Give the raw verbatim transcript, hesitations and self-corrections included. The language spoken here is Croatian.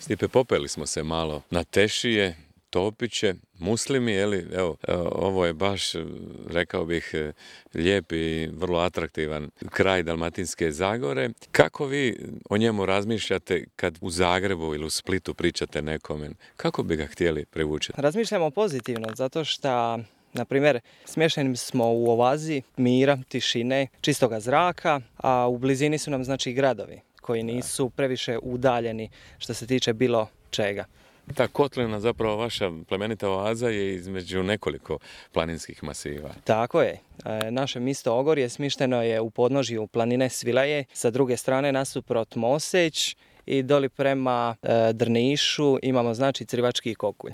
Stipe, popeli smo se malo na Tešije, Topiće, Muslimi, jeli, evo, ovo je baš, rekao bih, lijep i vrlo atraktivan kraj Dalmatinske Zagore. Kako vi o njemu razmišljate kad u Zagrebu ili u Splitu pričate nekome? Kako bi ga htjeli privući? Razmišljamo pozitivno, zato što, na primjer, smješteni smo u oazi mira, tišine, čistoga zraka, a u blizini su nam, znači, gradovi koji nisu previše udaljeni što se tiče bilo čega. Ta kotlina, zapravo vaša plemenita oaza, je između nekoliko planinskih masiva. Tako je. Naše mjesto Ogorje smišteno je u podnožju planine Svilaje, sa druge strane nasuprot Moseć i doli prema Drnišu imamo, znači, Crivački kokulj.